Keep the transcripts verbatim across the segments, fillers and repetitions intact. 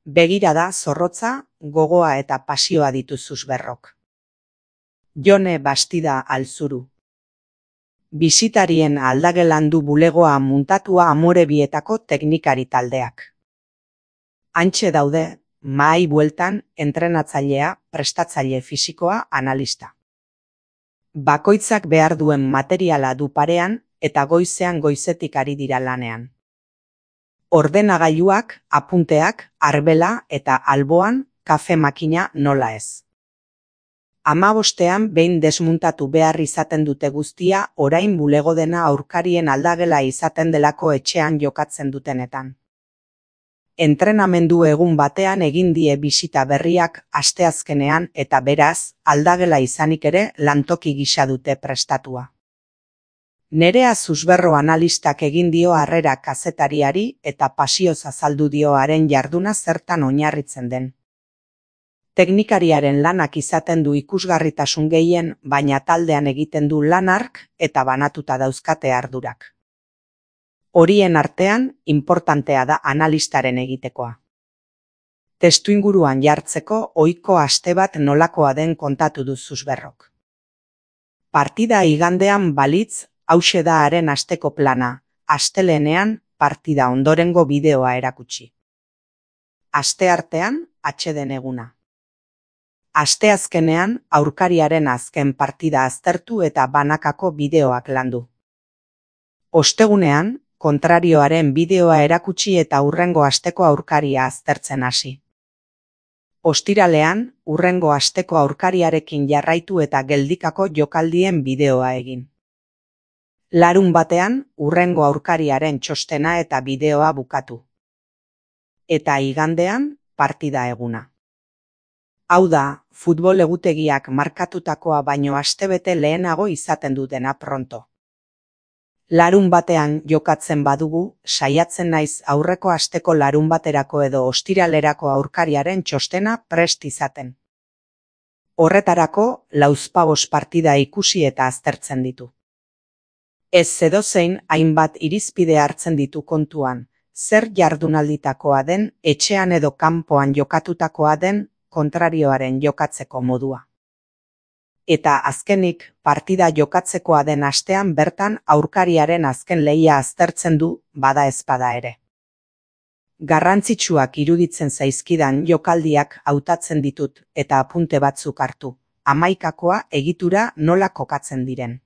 Begirada zorrotza, gogoa eta pasioa dituzuz berrok. Jone Bastida Alzuru. Bisitarien aldagelan du bulegoa muntatua Amorebietako teknikari taldeak. Hantxe daude, mahai bueltan, entrenatzailea, prestatzaile fisikoa, analista. Bakoitzak behar duen materiala du parean eta goizean goizetik ari dira lanean. Ordenagailuak, apunteak, arbela eta alboan kafe makina nola ez. Hamabostean behin desmuntatu behar izaten dute guztia orain bulego dena aurkarien aldagela izaten delako etxean jokatzen dutenetan. Entrenamendu egun batean egin die bisita berriak asteazkenean eta beraz, aldagela izanik ere lantoki gisa dute prestatua. Nerea Zuzberro analistak egin dio harrera kazetariari eta pasioz azaldu dio haren jarduna zertan oinarritzen den. Teknikariaren lanak izaten du ikusgarritasun gehien, baina taldean egiten du lan hark eta banatuta dauzkate ardurak. Horien artean, inportantea da analistaren egitekoa. Testuinguruan jartzeko ohiko aste bat nolakoa den kontatu du Zuzberrok. Partida igandean balitz, hauxe da haren asteko plana, astelehenean partida ondorengo bideoa erakutsi. Asteartean, atseden eguna. Asteazkenean aurkariaren azken partida aztertu eta banakako bideoak landu. Ostegunean, kontrarioaren bideoa erakutsi eta hurrengo asteko aurkaria aztertzen hasi. Ostiralean, hurrengo asteko aurkariarekin jarraitu eta geldikako jokaldien bideoa egin. Larun batean, hurrengo aurkariaren txostena eta bideoa bukatu. Eta igandean, partida eguna. Hau da, futbol egutegiak markatutakoa baino astebete lehenago izaten du dena pronto. Larun batean jokatzen badugu, saiatzen naiz aurreko asteko larun baterako edo ostiralerako aurkariaren txostena prest izaten. Horretarako, lauzpabost partida ikusi eta aztertzen ditu. Ez edozein hainbat irizpide hartzen ditu kontuan, zer jardunalditakoa den, etxean edo kanpoan jokatutakoa den, kontrarioaren jokatzeko modua. Eta azkenik, partida jokatzekoa den astean bertan aurkariaren azken lehia aztertzen du, bada ezpada ere. Garrantzitsuak iruditzen zaizkidan jokaldiak hautatzen ditut eta apunte batzuk hartu, hamaikakoa egitura nola kokatzen diren.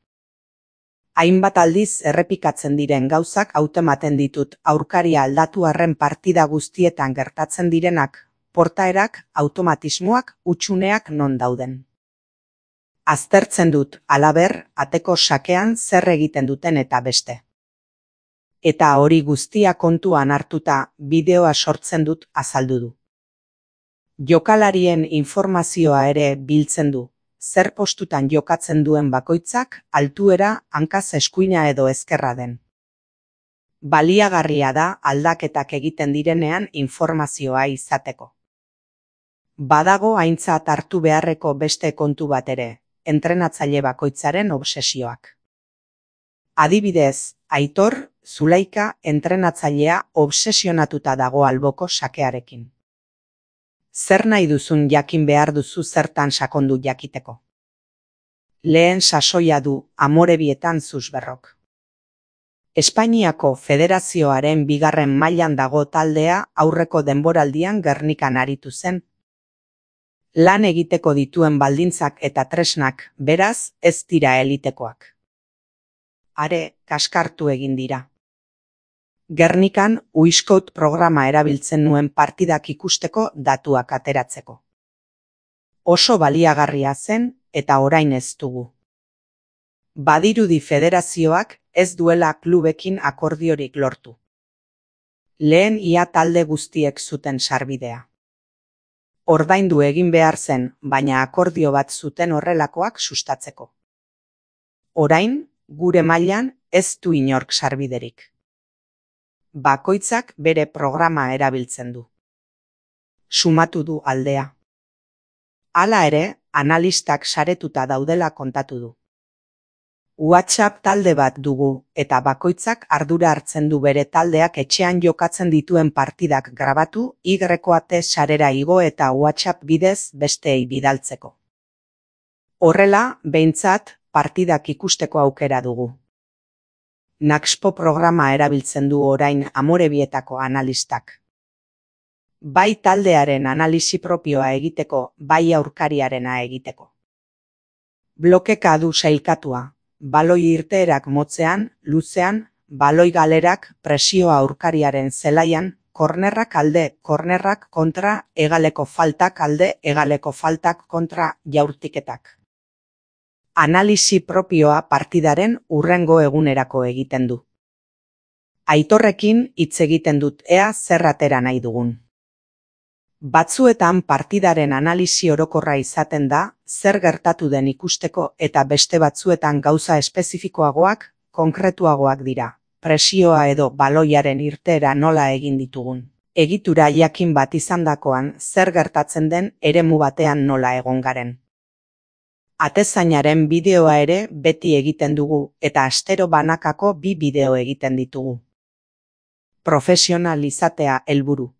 Hainbat aldiz errepikatzen diren gauzak hautematen ditut aurkaria aldatu arren partida guztietan gertatzen direnak, portaerak, automatismoak, hutsuneak non dauden. Aztertzen dut, halaber, ateko sakean zer egiten duten eta beste. Eta hori guztia kontuan hartuta bideoa sortzen dut azaldu du. Jokalarien informazioa ere biltzen du, zer postutan jokatzen duen bakoitzak, altuera, hankaz eskuina edo ezkerra den. Baliagarria da aldaketak egiten direnean informazioa izateko. Badago aintzat hartu beharreko beste kontu bat ere, entrenatzaile bakoitzaren obsesioak. Adibidez, Aitor, Zulaika entrenatzailea obsesionatuta dago alboko sakearekin. Zer nahi duzun jakin behar duzu zertan sakondu jakiteko. Lehen sasoia du Amorebietan Zuzberrok. Espainiako Federazioaren bigarren mailan dago taldea aurreko denboraldian Gernikan aritu zen. Lan egiteko dituen baldintzak eta tresnak, beraz, ez dira elitekoak. Are, kaskartu egin dira. Gernikan Uiskout programa erabiltzen nuen partidak ikusteko datuak ateratzeko. Oso baliagarria zen eta orain ez dugu. Badirudi federazioak ez duela klubekin akordiorik lortu. Lehen ia talde guztiek zuten sarbidea. Ordaindu egin behar zen, baina akordio bat zuten horrelakoak sustatzeko. Orain, gure mailan ez du inork sarbiderik. Bakoitzak bere programa erabiltzen du. Sumatu du aldea. Hala ere, analistak saretuta daudela kontatu du. WhatsApp talde bat dugu, eta bakoitzak ardura hartzen du bere taldeak etxean jokatzen dituen partidak grabatu, Y-ate sarera igo eta WhatsApp bidez besteei bidaltzeko. Horrela, behintzat, partidak ikusteko aukera dugu. Naxpo programa erabiltzen du orain Amorebietako analistak. Bai taldearen analisi propioa egiteko, bai aurkariarena egiteko. Blokeka du sailkatua, baloi irteerak motzean, luzean, baloi galerak presioa aurkariaren zelaian, kornerrak alde, kornerrak kontra, hegaleko faltak alde, hegaleko faltak kontra jaurtiketak. Analisi propioa partidaren hurrengo egunerako egiten du. Aitorrekin hitz egiten dut ea zer atera nahi dugun. Batzuetan partidaren analisi orokorra izaten da, zer gertatu den ikusteko eta beste batzuetan gauza espezifikoagoak, konkretuagoak dira. Presioa edo baloiaren irteera nola egin ditugun. Egitura jakin bat izandakoan zer gertatzen den eremu batean nola egon garen. Atezainaren bideoa ere beti egiten dugu eta astero banakako bi bideo egiten ditugu. Profesional izatea helburu.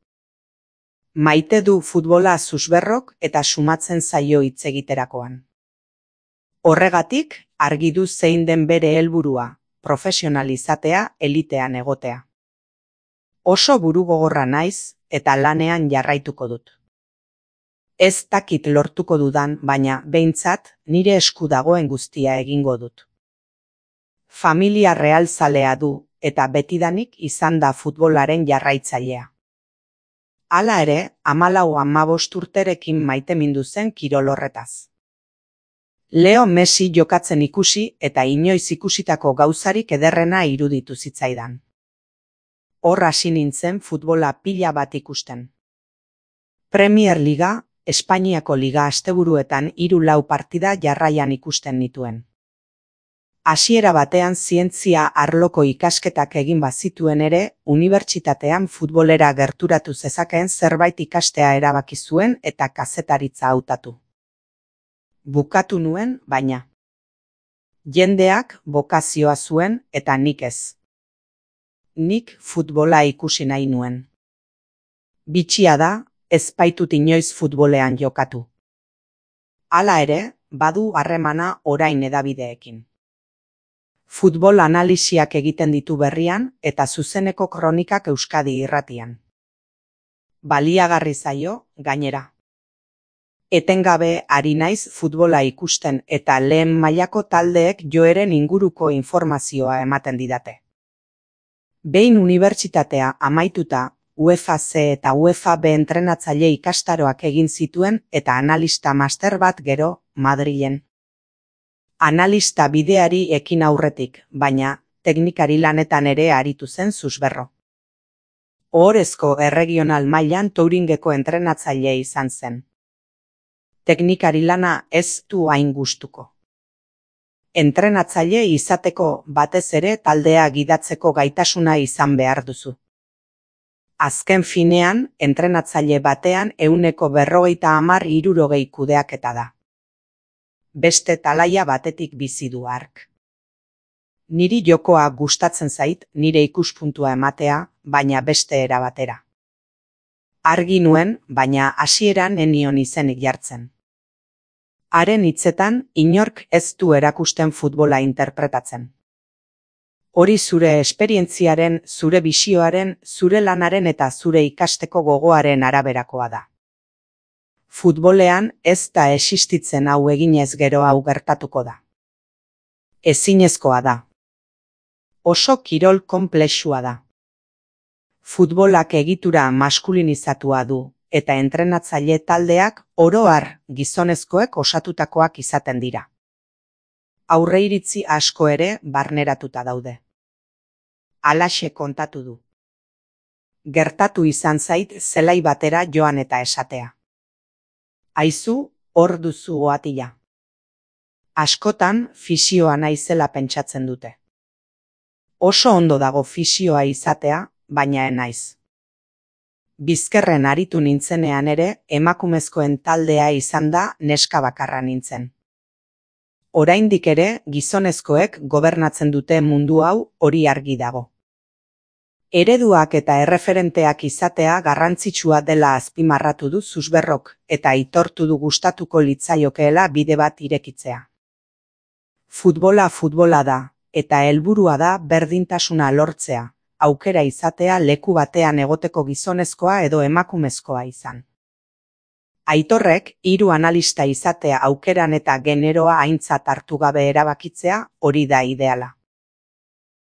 Maite du futbola Susberrok eta sumatzen zaio hitz egiterakoan. Horregatik, argi du zein den bere helburua, profesional izatea elitean egotea. Oso burugogorra naiz eta lanean jarraituko dut. Ez dakit lortuko dudan, baina behintzat nire esku dagoen guztia egingo dut. Familia realzalea du eta betidanik izan da futbolaren jarraitzailea. Hala ere, hamalau hamabost urterekin maitemindu zen kirol horretaz. Leo Messi jokatzen ikusi eta inoiz ikusitako gauzarik ederrena iruditu zitzaidan. Hor hasi nintzen futbola pila bat ikusten. Premier Liga, Espainiako Liga asteburuetan hiru lau partida jarraian ikusten nituen. Hasiera batean zientzia arloko ikasketak egin bazituen ere, unibertsitatean futbolera gerturatu zezakeen zerbait ikastea erabaki zuen eta kazetaritza hautatu. Bukatu nuen, baina. Jendeak bokazioa zuen eta nik ez. Nik futbola ikusi nahi nuen. Bitxia da, ez baitut inoiz futbolean jokatu. Hala ere, badu harremana orain hedabideekin. Futbol analisiak egiten ditu berrian eta zuzeneko kronikak Euskadi irratian. Baliagarri zaio, gainera. Etengabe ari naiz futbola ikusten eta lehen mailako taldeek joeren inguruko informazioa ematen didate. Behin unibertsitatea amaituta, UEFA C eta UEFA B entrenatzaile ikastaroak egin zituen eta analista master bat gero, Madrilen. Analista bideari ekin aurretik, baina teknikari lanetan ere aritu zen Susberro. Ohorezko erregional mailan Touringeko entrenatzaile izan zen. Teknikari lana ez du hain gustuko. Entrenatzaile izateko batez ere taldea gidatzeko gaitasuna izan behar duzu. Azken finean, entrenatzaile batean ehuneko berrogeita hamar hirurogei kudeaketa da. Beste talaia batetik bizi du hark. Niri jokoa gustatzen zait, nire ikuspuntua ematea, baina beste era batera. Argi nuen, baina hasieran ez nion izenik jartzen. Haren hitzetan, inork ez du erakusten futbola interpretatzen. Hori zure esperientziaren, zure bisioaren, zure lanaren eta zure ikasteko gogoaren araberakoa da. Futbolean ez da existitzen hau eginez gero hau gertatuko da. Ezinezkoa da. Oso kirol konplexua da. Futbolak egitura maskulinizatua du, eta entrenatzaile taldeak oro har gizonezkoek osatutakoak izaten dira. Aurreiritzi asko ere barneratuta daude. Halaxe kontatu du. Gertatu izan zait zelai batera joan eta esatea. Aizu, hor duzu oatila. Askotan fisioa naizela pentsatzen dute. Oso ondo dago fisioa izatea, baina ez naiz. Bizkerren aritu nintzenean ere, emakumezkoen taldea izan da neska bakarra nintzen. Oraindik ere gizonezkoek gobernatzen dute mundu hau, hori argi dago. Ereduak eta erreferenteak izatea garrantzitsua dela azpimarratu du Susberrok eta aitortu du gustatuko litzaiokeela bide bat irekitzea. Futbola futbola da, eta helburua da berdintasuna lortzea, aukera izatea leku batean egoteko gizonezkoa edo emakumezkoa izan. Aitorrek hiru analista izatea aukeran eta generoa aintzat hartu gabe erabakitzea, hori da ideala.